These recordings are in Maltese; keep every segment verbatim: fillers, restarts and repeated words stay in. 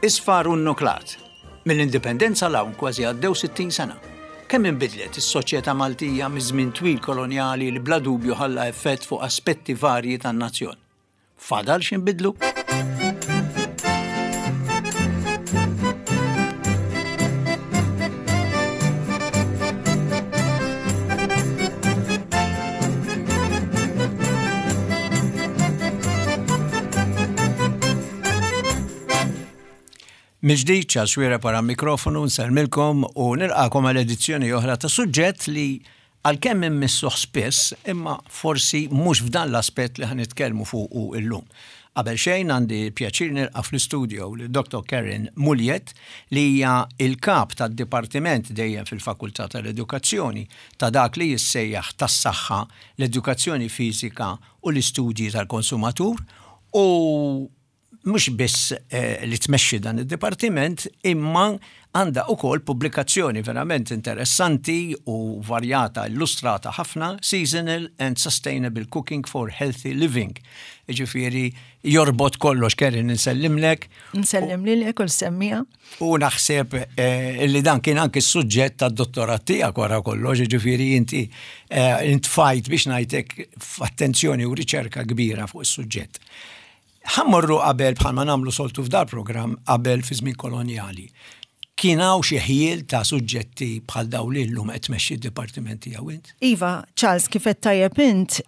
Isfar u nnuklat. Mill-indipendenza 'l hawn kważi għaddew sittin sena. Kemm inbidlet is-soċjetà Maltija miż-żmien twil kolonjali li bla dubju ħalla effett fuq aspetti varji tan-nazzjon. Fadal x'inbidlu? Mill-ġdid Charles Xuereb wara mikrofonu nsellmilkom u nilqakom għal edizzjoni oħra ta' suġġett li għalkemm immissuh spiss imma forsi mhux f'dan l-aspett li ħa nitkellmu fuqu illum. Qabel xejn għandi pjaċir nilqa' fl-istudio lil Dottor Karen Mugliett li hija il-kap tad-dipartiment dejjem fil-Fakultà tal-Edukazzjoni ta' dak li jissejjaħ tas-saħħa, l-edukazzjoni fiżika u l-istudji tal-konsumatur u mhux biss eh, li tmexxi dan id-dipartiment imma għandha ukoll pubblikazzjoni verament interessanti u varjata, illustrata ħafna, Seasonal and Sustainable Cooking for Healthy Living. Ġifieri jorbot kollox. Karen, nsellimlek. Nsellim lilek u l-semmija. U naħseb eh, li dan kien anki s-suġġett tad-dottorat tiegħek wara kollox, ġifieri inti eh, intfajt biex ngħidlek f'attenzjoni u riċerka kbira fuq is-suġġett. Ħa mmorru qabel bħalma nagħmlu soltu f'dal programm qabel fi żmien kolonjali. Kien hawn xi ħjiel ta' suġġetti bħal dawn li llum qed tmexxi d-dipartiment tiegħu int? Iva, Charles, kif qed tajjeb int,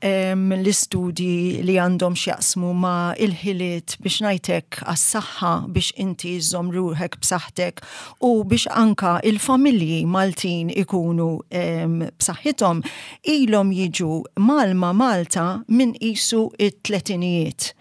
l-istudji li għandhom x'jaqsmu ma' il-ħiliet biex ngħidlek għas-saħħa biex inti żżomm ruħek b'saħħtek u biex anka il-familji Maltin ikunu b'saħħithom ilhom jiġu mgħallma Malta minn qisu it-tletinijiet.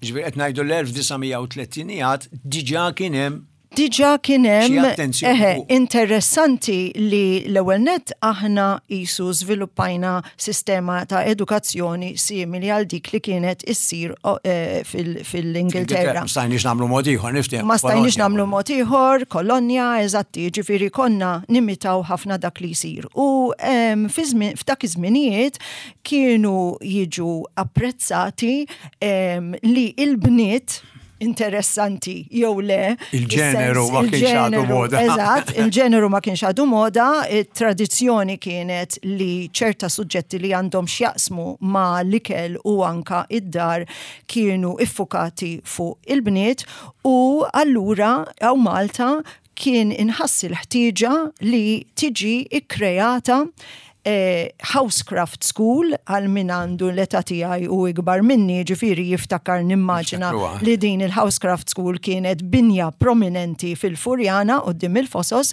Ġifieri qed ngħidu l-elf disa' mija u tletinijiet diġà kien hemm Diġà kien hemm, Xi attenzjoni eħe, fuq. interessanti li l-ewwel nett aħna qisu żviluppajna sistema ta' edukazzjoni simili għal dik li kienet issir, o, eh, fil-, fil-Ingilterra. Ma stajniex nagħmlu mod ieħor, niftehmu. Ma stajniex Kolonja. nagħmlu mod ieħor, kolonja, eżatti, ġifieri konna nimitaw ħafna dak li jsir. U, em, fi żmien, f'dak iż-żminijiet kienu jiġu apprezzati, em, li il-bniet interessanti jew le. Il-ġeneru Is-sens, ma kienx għadu il-ġeneru, moda. Eżatt, il-ġeneru ma kienx għadu moda, it-tradizzjoni kienet li ċerta suġġetti li għandhom x'jaqsmu ma l-ikel u anka id-dar kienu iffukati fuq il-bniet u allura hawn Malta kien inħass il-ħtieġa li tiġi ikkreata eh, Housecraft School għal min għandu l-età tiegħi u ikbar minni, ġifieri jiftakar nimmaġina Niftakruha. li din il-Housecraft School kienet binja prominenti fil-Furjana quddiem il-Fosos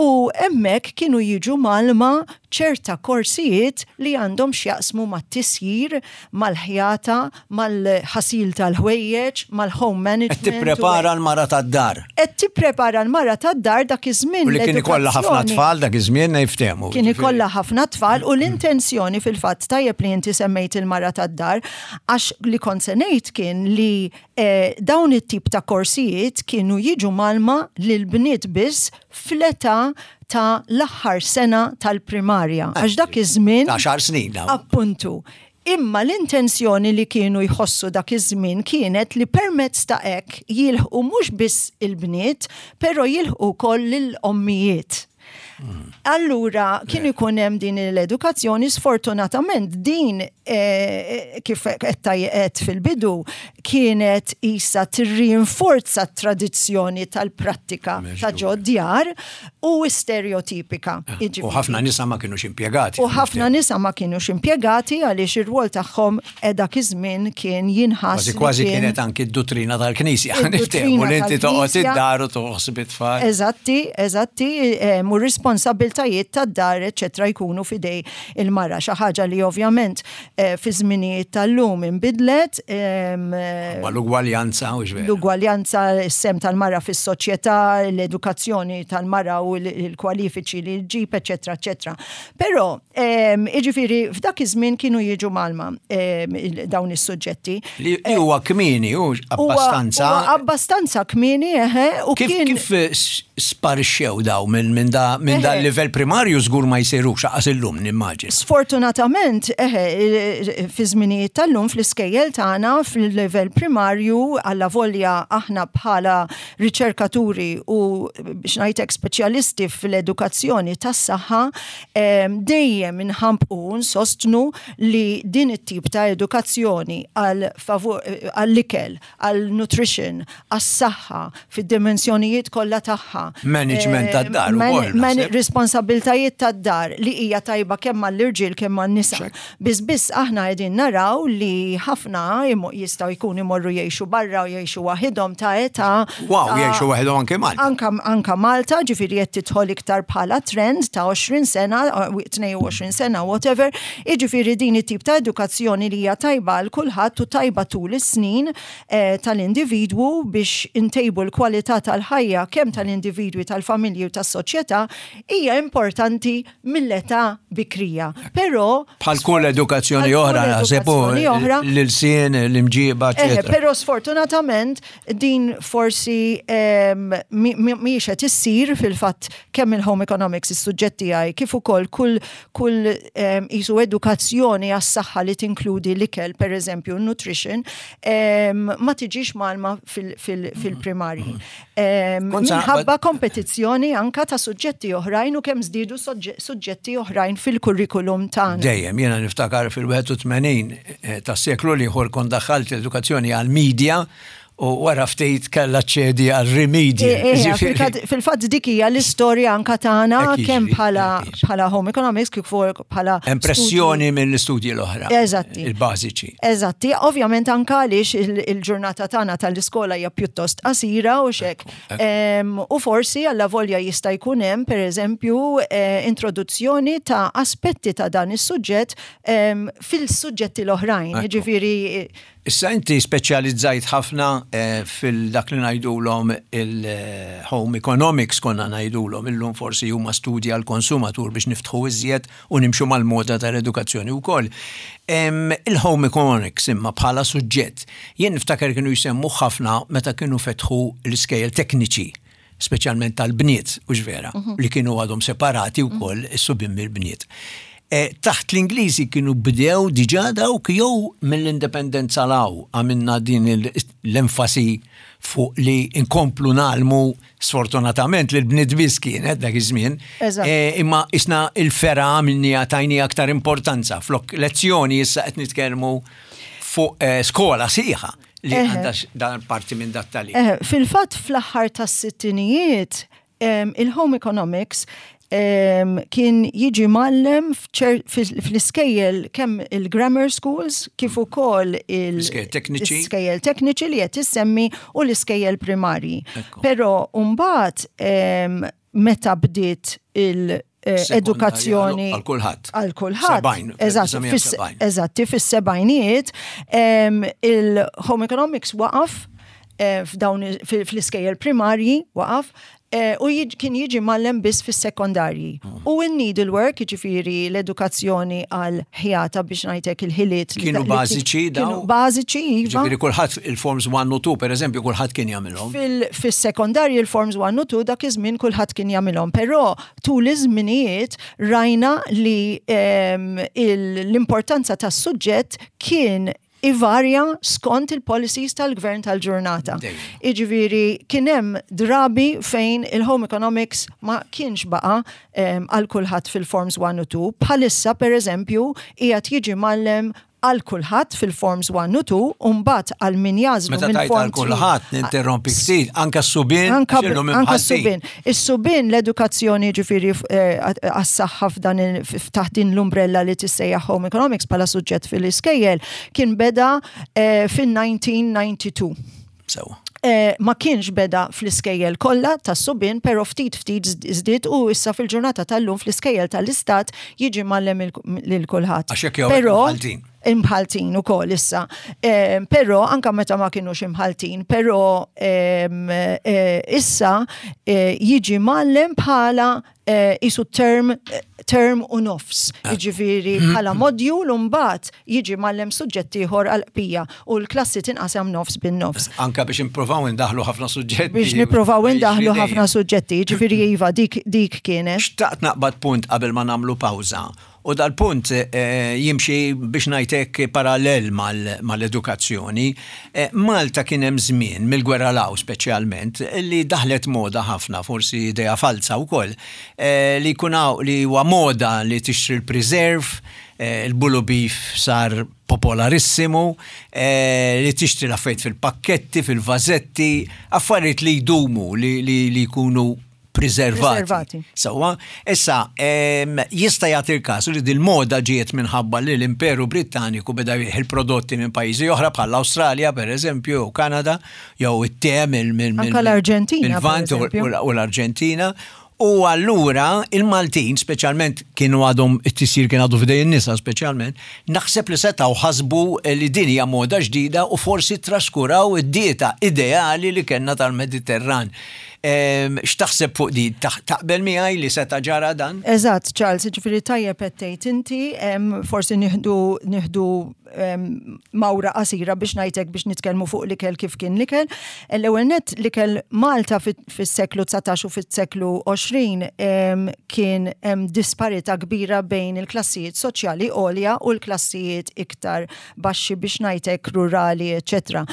u hemmhekk kienu jiġu mgħallma ċerta korsijiet li għandhom x'jaqsmu mat-tisjir, mal-ħjata, mal-ħasil tal-ħwejjeġ, mal-home management. Qed tipprepara l-mara tad-dar. Qed tipprepara l-mara tad-dar dak iż-żmien. U li kien ikollha ħafna l-edukazzjoni tfal dak iż-żmien niftehmu. Kien ikollha ħafna tfal u l-intenzjoni fil-fatt tajjeb li inti semmejt il-mara tad-dar għax li kont se ngħid kien li, eh, dawn it-tip ta' korsijiet kienu jiġu mgħallma lil bniet biss fl-età ta' l-aħħar sena tal-primarja. Għax dak iż-żmien Ta' xar snin dawn. Appuntu. Imma l-intenzjoni li kienu jħossu dak iż-żmien kienet li permezz ta' hekk jilħqu mhux biss il-bniet, però jilħqu wkoll lill-ommijiet. Allura kien ikun hemm din l-edukazzjoni, sfortunatament din, eh, kif qed tajjeb fil-bidu kienet isa tirrinforza t-tradizzjoni tal-prattika ta' ġod-djar u stereotipika. Eh, u ħafna nisa ma kienux impjegati. U ħafna nisa ma kienux impjegati għaliex ir-rwol tagħhom dak iż-żmien kien jinħass Kważi li kważi kien kienet anki d-dottrina tal-Knisja. Id-dottrina Niftehmu li inti toqgħod tal-Knisja. id-dar u toħsib it-tfal. Eżatti, eżatti, eh, mu responsabiltajiet tad-dar, eċċetera, jkunu fidej il-mara. Xi ħaġa li ovvjament, eh, fi żminijiet tal-lum inbidlet, em, Ma l-ugwaljanza u x'veru. L-ugwaljanza, is-sehem tal-mara fis-soċjetà, l-edukazzjoni tal-mara u l-, il-kwalifiċi li ġġib, eċċetera, eċċetera. Però, em, jiġifieri, f'dak iż-żmien kienu jiġu mgħallma, em, il-, dawn is-suġġetti. Li huwa kmieni, u Huwa abbastanza. Huwa abbastanza kmieni, eħe, u Kif kien kif, eh, s-, Sparixxew daw minn min da, min da livell primarju, żgur ma jsirux lanqas illum, nimmaġina. Sfortunatament, eħe, fi żminijiet tal-lum fl-iskejjel tagħna fil-livell primarju, alla volja aħna bħala riċerkaturi u biex ngħidlek speċjalisti fl-edukazzjoni tas-saħħa dejjem inħampqu nsostnu li din it-tip ta' edukazzjoni għal għall-ikel, għal nutrition, għas-saħħa fid-dimensjonijiet kollha tagħha. Management tad-dar. Responsabiltajiet tad-dar li hija tajba kemm għall-irġiel kemm għan-nisa. Biss biss aħna qegħdin naraw li ħafna jistgħu jkunu imorru jgħixu barra u jgħixu waħidhom ta' età. Wow, jgħixu waħidhom anke Malta. Anka, anka Malta, ġifieri qed tidħol iktar bħala trend ta' għoxrin sena, tnejn u għoxrin sena, whatever. Jiġifieri din it-tip ta' edukazzjoni li hija tajba għal kulħadd u tajba tul is-snin eh, tal-individwu biex intejbu l-kwalità tal-ħajja kemm tal-individwi, tal-familji u tas-soċjetà hija importanti mill-età bikrija. Però bħal kull edukazzjoni oħra, naħseb, l-ilsien, l-imġiba, eċċetera. Però sfortunatament din forsi mhijiex qed issir. Fil-fatt kemm il-home economics, is-suġġetti għaj, kif ukoll kull kull isu edukazzjoni għas-saħħa li tinkludi l-ikel, per eżempju, nutrition, ma tiġix mgħallma fil-primarji. Minħabba kompetizzjoni anka ta' suġġetti oħrajn u kemm żdiedu suġġetti oħrajn fil-kurrikulum tagħna. Dejjem, jiena niftakar fil-wieħed u tmenin eh, tas-seklu l-ieħor kont daħħalt l-edukazzjoni għal-media u wara ftit kella ċedi għal remedial. Eh, eh, fil-fatt dik hija l-istorja anka tagħna kemm bħala bħala home economics kif bħala Impressjoni mill-istudji l-oħra. Eżatti. Il-bażiċi. Eżatti, ovvjament anka għaliex il-ġurnata tagħna tal-iskola hija pjuttost qasira u xek. U forsi alla volja jista' jkun hemm, pereżempju, eh, introduzzjoni ta' aspetti ta' dan is-suġġett fil-suġġetti l-oħrajn. Jiġifieri Issa inti speċjalizzajt ħafna eh, fil-dak li ngħidulhom il-home economics konna ngħidulhom, illum forsi huma studji għal konsumatur biex niftħu iżjed u nimxu mal-moda tal-edukazzjoni wkoll. Il-home economics imma bħala suġġett, jien niftakar kienu jsemmu ħafna meta kienu fetħu l-iskejjel tekniċi, speċjalment tal-bniet, u vera, mhm. li kienu għadhom separati wkoll is-subien mill-bniet. Eh, taħt l-Ingliżi kienu bdew diġà dawk jew mill-indipendenza 'l hawn għamilna din l-enfasi fuq li inkomplu ngħallmu, sfortunatament li l-bniet biss kienet dak iż-żmien. Eh, imma isna il-fergħa għamilni tajni aktar importanza. Flok lezzjoni issa qed nitkellmu fuq eh, skola sħiħa li għandha dan parti minn dat tali. Fil-fatt fl-aħħar tas-sittinijiet il-home economics kien jiġi mgħallem fl-iskejjel kemm il-grammar schools kif ukoll il-iskejjel tekniċi li qed issemmi u l-iskejjel primarji. Però mbagħad meta bdiet il- edukazzjoni għal kulħadd. Għal kulħadd. Eżatti, fis-sebgħinijiet il-home economics waqaf eh, f'dawn fl-iskejjel primarji waqaf eh, u kien jiġi mgħallem biss fis-sekondarji. Mm. U il-needlework, jiġifieri l-edukazzjoni għal ħjata, biex ngħidlek il-ħiliet. Kienu bażiċi daw? Kienu bażiċi, iva. Jiġifieri kulħadd il-forms one u two, per eżempju, kulħadd kien jagħmilhom. Fis-sekondarji il-forms one u two dak iż-żmien kulħadd kien jagħmilhom, però tul iż-żminijiet rajna li l-importanza tas-suġġett kien ivarja skont il-policies tal-gvern tal-ġurnata. Iġifieri kien hemm drabi fejn il-home economics ma kienx baqa għal kulħadd fil-forms one u two. Bħalissa, per eżempju, qiegħed jiġi mgħallem għal kulħadd fil-forms one u two, u mbagħad għal min jagħżlu Meta tgħid għal kulħadd, ninterrompi ftit, anka s-subien. Anka s-subien. Is-subien l-edukazzjoni, ġifieri, eh, għas-saħħa f'dan taħt din l-umbrella li tissejjaħ home economics bħala suġġett fil-iskejjel kien beda eh, fin-elf disa' mija u disgħa u disgħin. Sewa. Eh, ma kienx beda fl-iskejjel kollha tas-subien, però ftit ftit żdied u issa fil-ġurnata tal-lum fl-iskejjel tal-istat jiġi mgħallem lil kulħadd. Għax hekk jew imħaltin. Imħaltin ukoll issa. Eh, però anka meta ma kienux imħaltin, però eh, issa jiġi mgħallem bħala isu term Term u nofs. Jiġifieri bħala module u mbagħad jiġi mgħallem suġġett ieħor għal-bqija u l-klassi tinqasam nofs bin-nofs. Anka biex nippruvaw indaħlu ħafna suġġetti. Biex nippruvaw indaħlu ħafna suġġetti, jiġifieri iva, dik, dik kienet. Xtaqt naqbad punt qabel ma nagħmlu pawża. U dal-punt eh, jimxi, biex ngħidlek, parallel mal-edukazzjoni. Eh, Malta kien hemm żmien mill-gwerra 'l hawn speċjalment li daħlet moda ħafna, forsi idea falsa wkoll, eh, li jkun li huwa moda li tixtri l-preserve, il-bulu beef sar popolarissimu, li tixtri l-affarijiet fil-pakketti, fil-vażetti, affarijiet li jdumu, li jkunu preservati. Sewwa, issa, jista' jagħti il-każ li dil-moda ġiet minħabba li l-Imperu Britanniku beda il-prodotti minn pajjiżi oħra bħal l-Awstralja, per eżempju, u Kanada, jew it-te mill-Arġentina. U l-Arġentina. U allura il-Maltin, speċjalment kienu għadhom it-tisjir kien għadu f'idejn nisa speċjalment, naħseb li setgħu ħasbu li din hija moda ġdida u forsi traskuraw id-dieta ideali li kellna tal-Mediterran. X'taħseb fuq di? Taqbel miegħi li seta' ġara dan? Eżatt, Charles, ġifieri tajjeb qed tgħid inti, forsi nieħdu nieħdu mawra qasira biex ngħidlek biex nitkellmu fuq l-ikel, kif kien l-ikel. L-ewwel net, l-ikel Malta fis-seklu dsatax u fis-seklu għoxrin kien hemm disparità kbira bejn il-klassijiet soċjali għolja u l-klassijiet iktar baxxi, biex ngħidlek rurali, eċetera.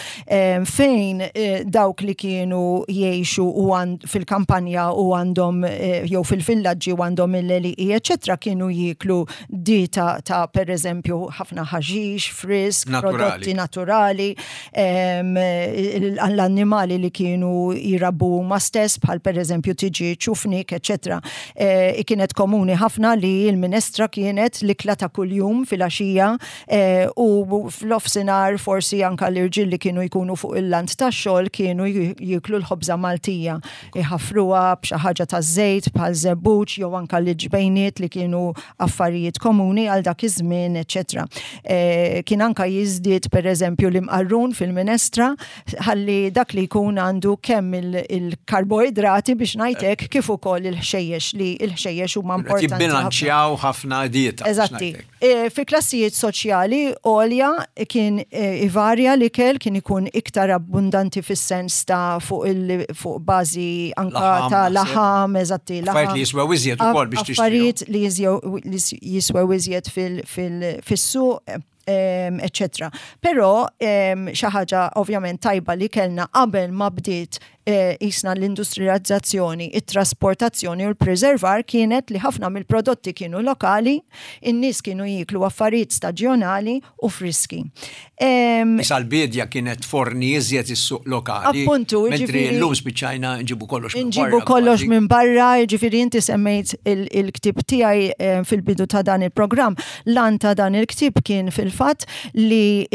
Fejn eh, dawk li kienu jgħixu u fil-kampanja u għandhom eh, jew fil-villaġġi u għandhom il-għelieqi, eċetera, kienu jieklu dieta ta' per eżempju ħafna ħaxix, frisk, prodotti naturali, l-annimali li kienu jirabbu ma stess, bħal per eżempju tiġieġ u fnik, eċetera. E, kienet komuni ħafna li l-minestra kienet l-ikla ta' kuljum fil-għaxija e, u f'nofsinhar forsi anka l-irġiel li kienu jkunu fuq il-lant ta' xogħol kienu jiklu l-ħobża Maltija. Iħafruha b'xi ħaġa ta' żejt bħal żebbuġ jew anka l-ġbejniet li kienu affarijiet komuni għal dak iż-żmien, eċetera. E, kien anka jiżdied per eżempju l-imqarrun fil-minestra ħalli dak li jkun għandu kemm il-karboidrati, biex ngħidlek, kif ukoll il-ħxejjex, li il-ħxejjex huma importanti. Jibbilanċjaw ħafna dieta. Eżatti. E, fi klassijiet soċjali għolja kien e, ivarja l-ikel, kien ikun iktar abbundanti fis-sens ta' fuq il fuq bażi anka ta' laħam, eżatti. Affarijiet li jiswew iżjed ukoll biex tixtri. Affarijiet li jiswew iżjed fil-suq, eccetera. Però xi ħaġa ovvjament tajba li kellna qabel ma bdiet eh, jisna l-industrializzazzjoni, it-trasportazzjoni u l-preservar kienet li ħafna mill-prodotti kienu lokali, in-nies kienu jiklu affarijiet staġjonali u friski. Issa l-bidja kienet forni iżjed is-suq lokali. Appuntu, mentri llum spiċċajna nġibu kollox minn barra. Nġibu kollox minn barra, ġifieri inti semmejt il-ktieb tiegħi fil-bidu ta' dan il-programm. L-għan ta' dan il-ktieb kien fil-fatt li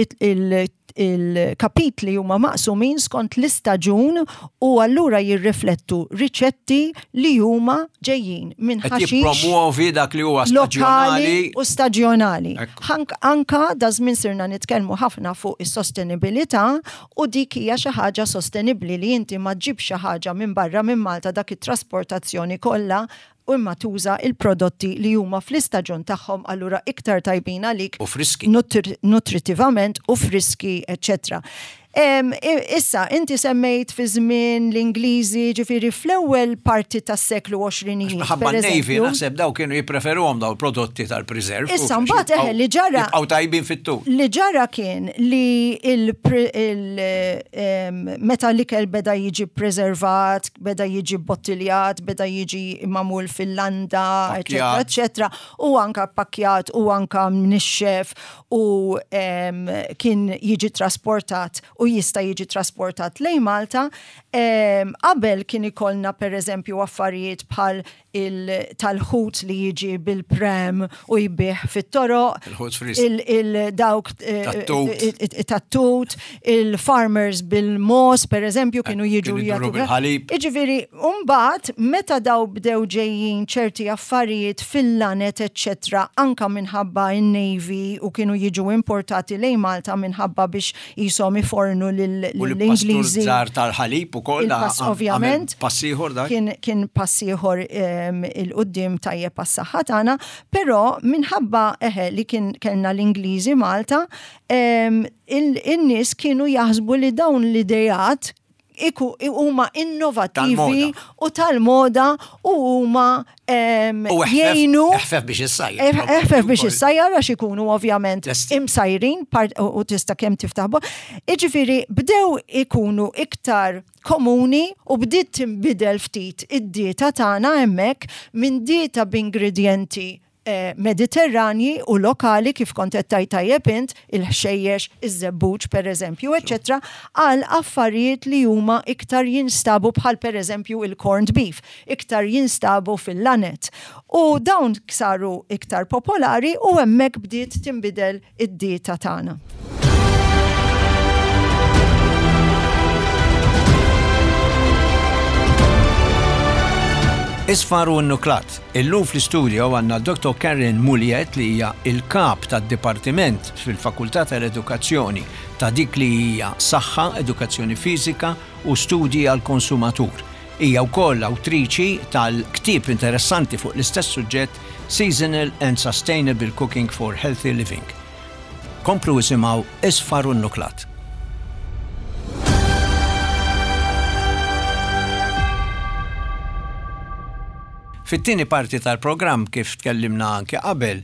il-kapitli huma maqsumin skont l-istaġun u allura jirriflettu riċetti li huma ġejjin minn ħaxix. Jippromuovi dak li huwa staġjonali u staġjonali. Anka da żmien sirna nitkellmu ħafna fuq is-sostenibilità u dik hija xi ħaġa sostenibbli li inti ma ġġib xi ħaġa minn barra minn Malta, dak it-trasportazzjoni kollha, u imma tuża il-prodotti li huma fl-istaġun tagħhom, allura iktar tajbin għalik u friski. Nutritivament u friski, eċetera. Issa, inti semmejt fi żmien l-Ingliżi, ġifieri fl-ewwel parti tas-seklu għoxrin. Ħabba Navy, naħseb daw kienu jippreferuhom daw prodotti tal-preserve. Issa mbagħad eħe li ġara. Jibqgħu tajbin fit-tul. Li ġara kien li il, meta l-ikel beda jiġi preservat, beda jiġi bottiljat, beda jiġi magħmul fil-landa, eċetera, eċetera, u anka pakkjat u anka mnixxef u kien jiġi trasportat u jista' jiġi trasportat lejn Malta. Qabel kien ikollna per eżempju affarijiet bħal tal-ħut li jiġi bil-prem u jbigħ fit-toroq. Il-dawk eh, tat-tut, il-farmers bil-mogħoż, per eżempju, kienu jiġu jagħtu. Iġifieri, mbagħad meta daw bdew ġejjin ċerti affarijiet fil-lanet, eccetera, anka minħabba in-Navy u kienu jiġu importati lejn Malta minħabba biex jisom ifornu ritornu lill-Ingliżi. Żar tal-ħalib ukoll. Ovvjament. Pass ieħor dak. Kien, kien pass ieħor 'il quddiem tajjeb għas-saħħa tagħna, però minħabba eħe li kien kellna l-Ingliżi Malta, in-nies kienu jaħsbu li dawn l-idejat iku huma innovattivi u tal-moda u huma jgħinu. Eħfef biex issajjar. Eħfef biex issajjar għax ikunu ovvjament imsajrin u tista' kemm tiftaħ. Iġifieri bdew ikunu iktar komuni u bdiet tinbidel ftit id-dieta tagħna hemmhekk minn dieta b'ingredjenti eh, mediterranji u lokali, kif kont qed tgħid tajjeb int, il-ħxejjex, iż-żebbuġ per eżempju, eċetera, għal affarijiet li huma iktar jinstabu bħal per eżempju il-corned beef, iktar jinstabu fil-laned. U dawn saru iktar popolari u hemmhekk bdiet tinbidel id-dieta tagħna. Isfar u Nuklat. Illum fl-istudio għandna Doktor Karen Mugliett, li hija il-kap tad-Dipartiment fil-Fakultà tal-Edukazzjoni ta' dik li hija Saħħa, Edukazzjoni Fiżika u Studji għal-Konsumatur. Hija wkoll awtriċi tal-ktieb interessanti fuq l-istess suġġett, Seasonal and Sustainable Cooking for Healthy Living. Komplu isimgħu Isfar u Nuklat. Fit-tieni parti tal-programm, kif tkellimna anke qabel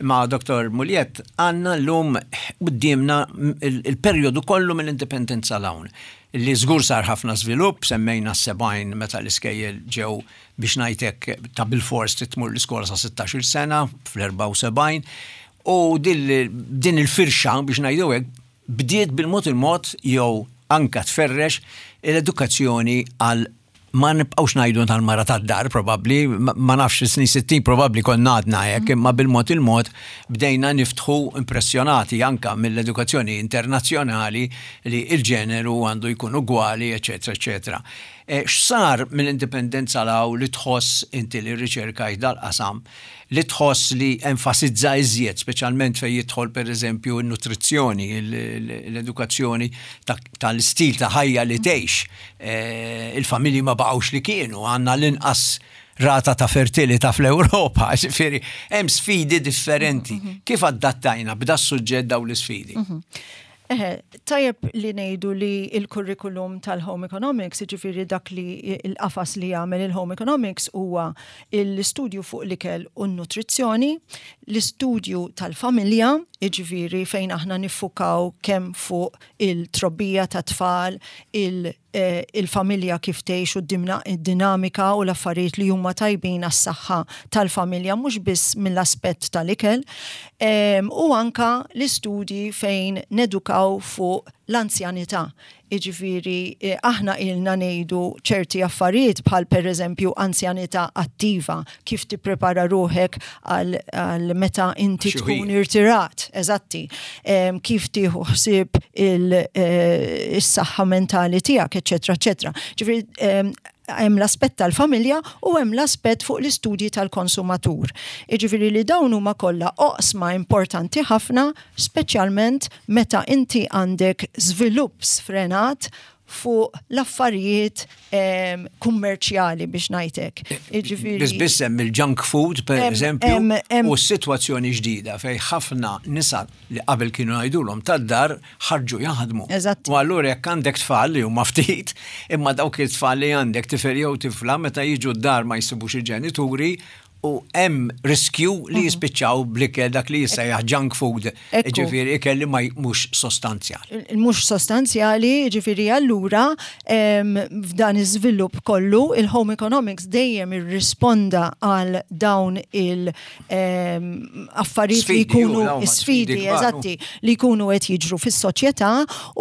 ma' Doktor Mugliett, għandna llum quddiemna il-perjodu kollu mill-indipendenza 'l hawn. Li żgur sar ħafna żvilupp, semmejna s-sebgħin meta l-iskejjel ġew, biex ngħidlek, ta' bil-fors tmur l-iskola sa sittax-il sena fl-erbgħa u sebgħin, u din il-firxa, biex ngħidu hekk, bdiet bil-mod il-mod jew anka tferrex l-edukazzjoni għal, ma nibqawx ngħidu tal-mara tad-dar probabbli, ma nafx, snin sittin probabbli konna għadna hekk, imma bil-mod il-mod bdejna niftħu, impressjonati anka mill-edukazzjoni internazzjonali li il-ġeneru għandu jkun ugwali, eċetera, eċetera. E, x'sar mill-indipendenza 'l hawn li tħoss inti li riċerkajt dal-qasam, li tħoss li enfasizza iżjed, speċjalment fejn jidħol per eżempju n-nutrizzjoni, l-edukazzjoni tal-istil ta' ħajja li tgħix? E, il-familji ma baqgħux li kienu, għandna l-inqas rata ta' fertilità fl-Ewropa, ġifieri hemm sfidi differenti. Mhm. Kif adattajna b'da suġġett daw l-isfidi? Mhm. Eħe, tajjeb li ngħidu li il-curriculum tal-Home Economics, ġifieri dak li il-qafas li jagħmel il-Home Economics, huwa l-istudju fuq l-ikel u n-nutrizzjoni, l-istudju tal-familja, ġifieri fejn aħna niffukaw kemm fuq il-trobbija ta' tfal, il- eh, il-familja kif tgħix u d-dinamika u l-affarijiet li huma tajbin għas-saħħa tal-familja, mhux biss mill-aspett tal-ikel, u anka l-istudji fejn nedukaw fuq l-anzjanità. Iġifieri, eh, aħna ilna ngħidu ċerti affarijiet bħal per eżempju anzjanità attiva, kif tipprepara ruħek għal meta inti tkun irtirat, eżatti, kif tieħu ħsieb eh, is-saħħa mentali tiegħek, eċetera, eċetera. Ġifieri, hemm l-aspett tal-familja u hemm l-aspett fuq l-istudji tal-konsumatur. Iġifieri li dawn huma kollha oqsma importanti ħafna, speċjalment meta inti għandek żvilupp sfrenat fuq l-affarijiet kummerċjali, biex ngħidlek. Ġifieri. Biss biss hemm il-junk food, per eżempju, u s-sitwazzjoni ġdida fej ħafna nisa li qabel kienu ngħidulhom tad-dar ħarġu jaħdmu. U allura jekk għandek tfal li huma ftit, imma dawk it-tfal li għandek, tifel jew tifla, meta jiġu d-dar ma jsibux il-ġenituri u hemm riskju li mhm. jispiċċaw bl-ikel dak li jissejjaħ junk food, ġifieri ikel li ma mhux sostanzjali. Mhux sostanzjali, ġifieri allura f'dan iż-żvilupp kollu il-Home Economics dejjem irrisponda għal dawn il affarijiet li jkunu sfidi, eżatti, li jkunu qed jiġru fis-soċjetà,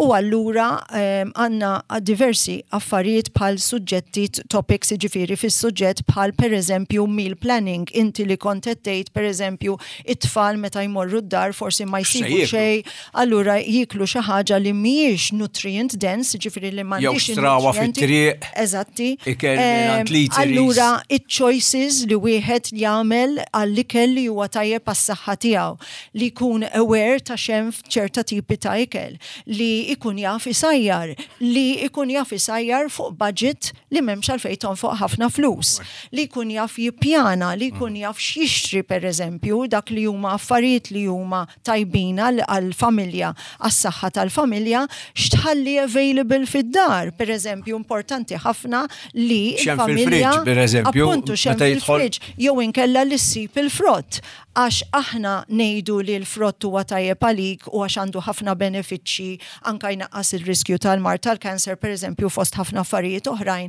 u allura għandna diversi affarijiet bħal suġġetti, topics, ġifieri fis-suġġett bħal per eżempju meal planning. planning. Inti li kont qed tgħid, pereżempju, it-tfal meta jmorru d-dar forsi ma jsibu jieklu? xejn, allura jiklu xi ħaġa li mhijiex nutrient dense, ġifieri li Jew m'għandix xtrawha in-nutrienti. fit-triq. Eżatti. Ikel minn Em, għand l-eateries. Allura, it-choices li wieħed jagħmel għall-ikel li huwa tajjeb għas-saħħa tiegħu, li jkun aware ta' x'hemm f'ċerta tipi ta' ikel, li jkun jaf isajjar, li jkun jaf isajjar fuq budget li m'hemmx għalfejn tonfoq ħafna flus, li jkun jaf jippjana, li jkun jaf x'jixtri, pereżempju, dak li huma affarijiet li huma tajbin għal- għall-familja, għas-saħħa tal-familja, x'tħalli available fid-dar. Per eżempju, importanti ħafna li X'hemm il-familja fil-fridge, per eżempju, appuntu, x'hemm meta jidħol- fil-fridge, jew inkella li ssib il-frott. Għax aħna ngħidu li l-frott huwa tajjeb għalik u għax għandu ħafna benefiċċji, anka jnaqqas il-riskju tal-mard tal-kanser, per eżempju, fost ħafna affarijiet oħrajn.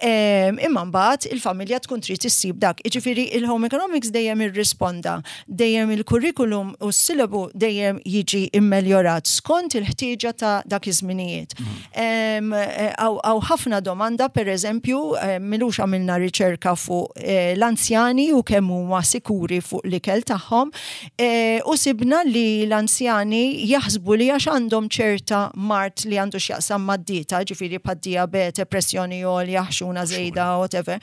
Em, Imma mbagħad il-familja tkun trid issib dak. Jiġifieri il-home economics dejjem irrisponda, dejjem il-curriculum u s-sillabu dejjem jiġi immeljorat skont il-ħtieġa ta' dak iż-żminijiet. Em, eh, Hawn ħafna domanda, per eżempju, eh, m'ilux għamilna riċerka fuq eh, l-anzjani u kemm huma sikuri fuq l-ikel tagħhom, eh, u sibna li l-anzjani jaħsbu li għax għandhom ċerta mard li għandu x'jaqsam mad-dieta, ġifieri bħad-diabete, pressjoni għolja, ħxuna żejda, whatever,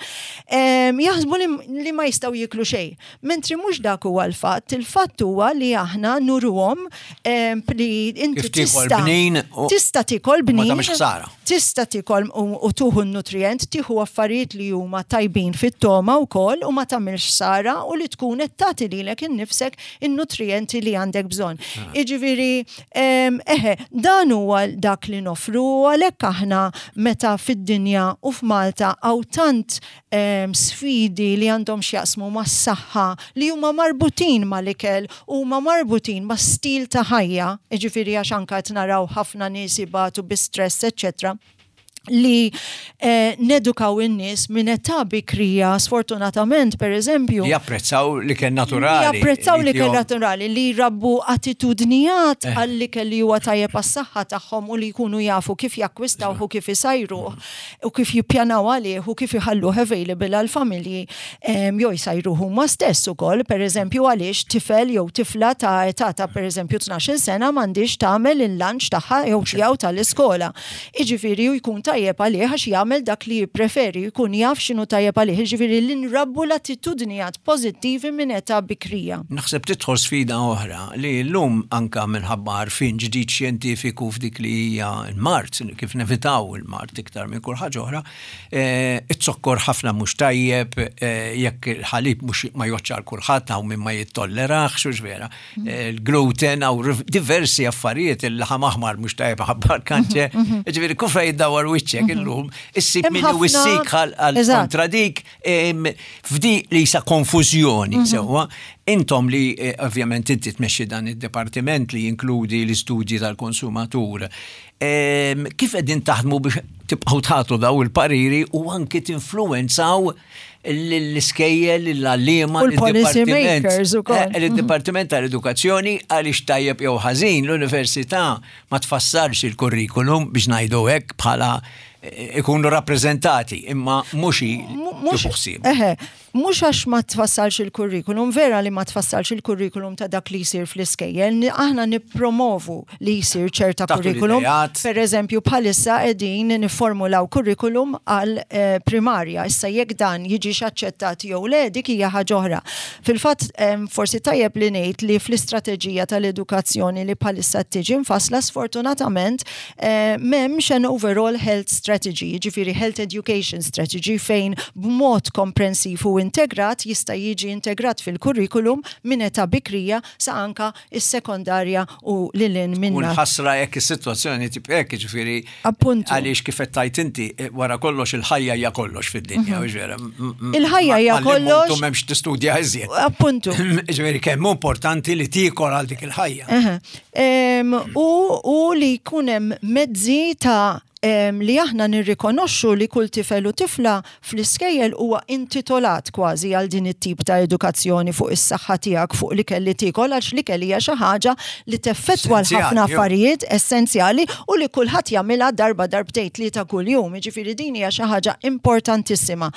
em, jaħsbu li, li ma jistgħu jiklu xejn. Mentri mhux dak huwa l-fatt, il-fatt huwa li aħna nuruhom em, li inti Kif tiekol tista' bnin u- tista' tikol ma bnin. tagħmilx ħsara. Tista' tikol u, u tieħu n-nutrient, tieħu affarijiet li huma tajbin fit-toma wkoll u ma tagħmilx ħsara u li tkun qed tagħti lilek innifsek in-nutrienti li għandek bżonn. Jiġifieri, em, eħe, dan huwa dak li nofru u għalhekk aħna meta fid-dinja u f'Malta hawn tant em, sfidi li għandhom x'jaqsmu mas-saħħa li huma marbutin mal-ikel u huma marbutin ma' stil ta' ħajja, jiġifieri għax anka qed naraw ħafna nies ibatu bi stress, eccetera, li eh, nedukaw in-nies minn età bikrija, sfortunatament, per eżempju, Li japprezzaw l-ikel naturali. li japprezzaw l-ikel tihom- naturali, li jrabbu attitudnijiet Eh. għall-ikel li huwa tajjeb għas-saħħa tagħhom u li jkunu jafu kif jakkwistaw u kif isajru u kif jippjanaw għalih u kif iħalluh available għal-familji em, jew jsajru huma stess ukoll, per eżempju, għaliex tifel jew tifla ta' età ta' per eżempju tnax-il sena m'għandix tagħmel il-lunch tagħha jew tiegħu tal-iskola. Jiġifieri u jkun tajjeb għalih għax jagħmel dak li jippreferi, jkun jaf x'inhu tajjeb għalih, jiġifieri li nrabbu l-attitudnijiet pożittivi minn età bikrija. Naħseb tidħol sfida oħra li l-lum anka minħabba għarfien ġdid xjentifiku f'dik li hija l-mard, kif nevitaw il-mard iktar minn kull ħaġa oħra, eh, it-zokkor ħafna mhux tajjeb, eh, jekk il-ħalib mhux ma joċċar kulħadd hawn min ma jittollerax, hux vera. Eh, Il-gluten hawn diversi affarijiet, il-laħam aħmar mhux tajjeb ħabba l-kanċer. Ġifieri kull fejn iddawwar wiċċek illum, issib Hemm min ħafna- wissik għal Eżatt. kontra dik em, f'di li sa konfużjoni sewwa. Intom li eh, ovvjament inti tmexxi dan id-dipartiment li jinkludi l-istudji tal-konsumatur. em, Kif qegħdin taħdmu biex tibqgħu tagħtu daw il-pariri u anki tinfluwenzaw l-iskejjel, l-għalliema, U l-policy makers ukoll. Eh, il-Dipartiment tal-Edukazzjoni, għaliex tajjeb jew ħażin l-università ma tfassarx il-kurrikulum, biex ngħidu hekk, bħala eh, ikunu rappreżentati, imma mhux Mhux tieħu ħsieb. Eħe, mhux għax ma tfassalx il-kurrikulum, vera li ma tfassalx il-kurrikulum ta' dak li jsir fl-iskejjel, ni- aħna nippromovu li jsir ċerta Tagħtu kurrikulum. l-idejat. Per eżempju, bħalissa qegħdin niformulaw kurrikulum għal eh, primarja. Issa jekk dan jiġix aċċettat jew le, dik hija ħaġa oħra. Fil-fatt, em, forsi tajjeb li ngħid li fl-istrateġija tal-edukazzjoni li bħalissa tiġi mfassla, sfortunatament eh, m'hemmx an overall health strategy, jiġifieri health education strategy fejn b'mod komprensiv u integrat jista' jiġi integrat fil-kurrikulum minn età bikrija sa anka is-sekondarja u lil hinn U minna. nħassra jekk is-sitwazzjoni tip hekk, ġifieri Appuntu. għaliex kif qed tgħid inti, eh, wara kollox il-ħajja hija kollox fid-dinja, hux vera? M- m- Il-ħajja hija ma- malli kollox. mmutu m'hemmx tistudja iżjed. Appuntu. Ġifieri kemm hu importanti li tiekol għal dik il-ħajja. Eħe. Em, U, u li jkun hemm mezzi ta' em, li aħna nirrikonoxxu li kull tifel u tifla fl-iskejjel huwa intitolat kważi għal din it-tip ta' edukazzjoni fuq is-saħħa tiegħek, fuq l-ikel li tiekol, għax l-ikel hija xi ħaġa li teffettwa Essenzjali, l-ħafna jo. affarijiet essenzjali u li kulħadd jagħmilha darba, darbtejn, tlieta kuljum. Jiġifieri din hija xi ħaġa importantissima.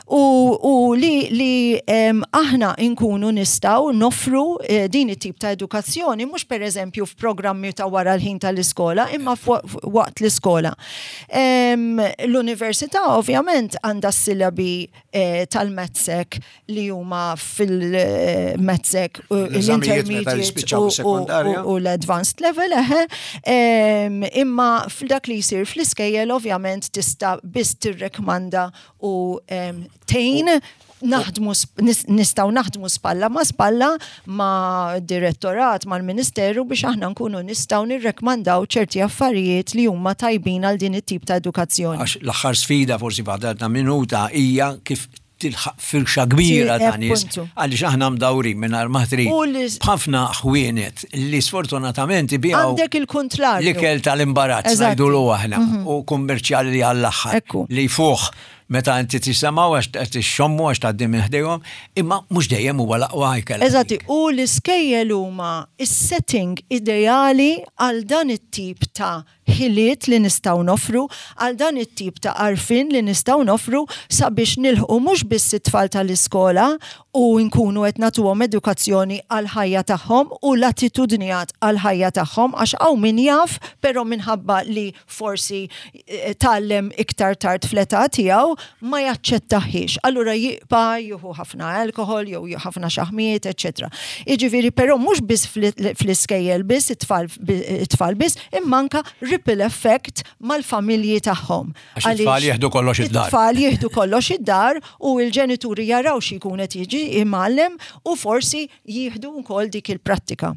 U, u li, li em, aħna nkunu nistgħu nofru eh, din it-tip ta' edukazzjoni mhux pereżempju f'programmi ta' wara l-ħin tal-iskola, imma f'wa- waqt l-iskola. Em, L-università ovvjament għandha s-sillabi eh, tal-MATSEC li huma fil-MATSEC, L-eżamijiet meta l-intermediate jispiċċaw u- u- sekondarja. u l-advanced level, eħe, em, imma f'dak li jsir fl-iskejjel ovvjament tista' biss tirrekmanda u em, tgħin naħdmu sp- nis- nistgħu naħdmu spalla ma spalla ma direttorat, mal-ministeru, biex aħna nkunu nistgħu nirrekmandaw ċerti affarijiet li huma tajbin għal din it-tip ta' edukazzjoni. Għax l-aħħar sfida, forsi fadalna minuta, hija kif tilħaq firxa kbira Sì, ta' nies appuntu. Għaliex aħna mdawrin minn ma trid U li- b'ħafna ħwienet li sfortunatament ibigħu Għandek il-kontrarju. l-ikel tal-imbarazz Eżatti. ngħidulu aħna u kummerċjali għall-aħħar Ekku. li fuq meta inti tisimgħu għax tixxommu għax tgħaddi minn ħdejhom, imma mhux dejjem huwa l-aqwa ikel. Eżatti, u l-iskejjel huma is-setting ideali għal dan it-tip ta' ħiliet li nistgħu nofru, għal dan it-tip ta' għarfien li nistgħu nofru sabiex nilħqu mhux biss it-tfal tal-iskola u nkunu qed nagħtuhom edukazzjoni għal ħajja tagħhom u l-attitudnijat għal ħajja tagħhom, għax hawn min jaf, però minħabba li forsi eh, tgħallem iktar tard fl-età tiegħu ma jaċċettahiex. Allura jibqa' jieħu ħafna alkohol jew jieħu ħafna xaħmiet, eċċetera. Jiġifieri però mhux biss fl- fl-iskejjel biss, it-tfal it-tfal biss, imma anka ripple effect mal-familji tagħhom. Għax it-tfal jieħdu kollox id-dar. It-tfal jieħdu kollox id-dar u l-ġenituri jaraw xi jkun qed jiġi imgħallem u forsi jieħdu wkoll dik il-prattika.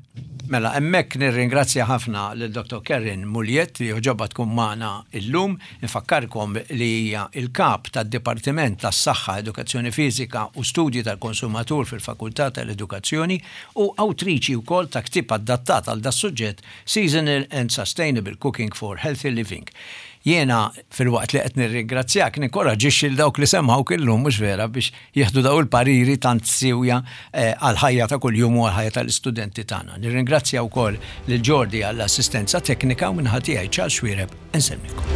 Mela, hemmhekk nirringrazzja ħafna lil Dottor Karen Mugliett li għoġobha tkun magħna illum. Infakkarkom li hija il-kap tad-Dipartiment tas-Saħħa, Edukazzjoni Fiżika u Studji tal-Konsumatur fil-Fakultà tal-Edukazzjoni u awtriċi wkoll ta' ktieb adattat għal das-suġġett, Seasonal and Sustainable Cooking for Healthy Living. Jiena, filwaqt li qed nirringrazzjak, ninkoraġixxi l dawk li semgħu illum, mhux vera, biex jieħdu daw il-pariri tant siwja eh, għal-ħajja ta' kuljum u għal-ħajja tal-istudenti tagħna. Nirringrazzja wkoll lil Jordi għall-assistenza teknika u min-naħa tiegħi, Charles Xuereb, insellmilkom.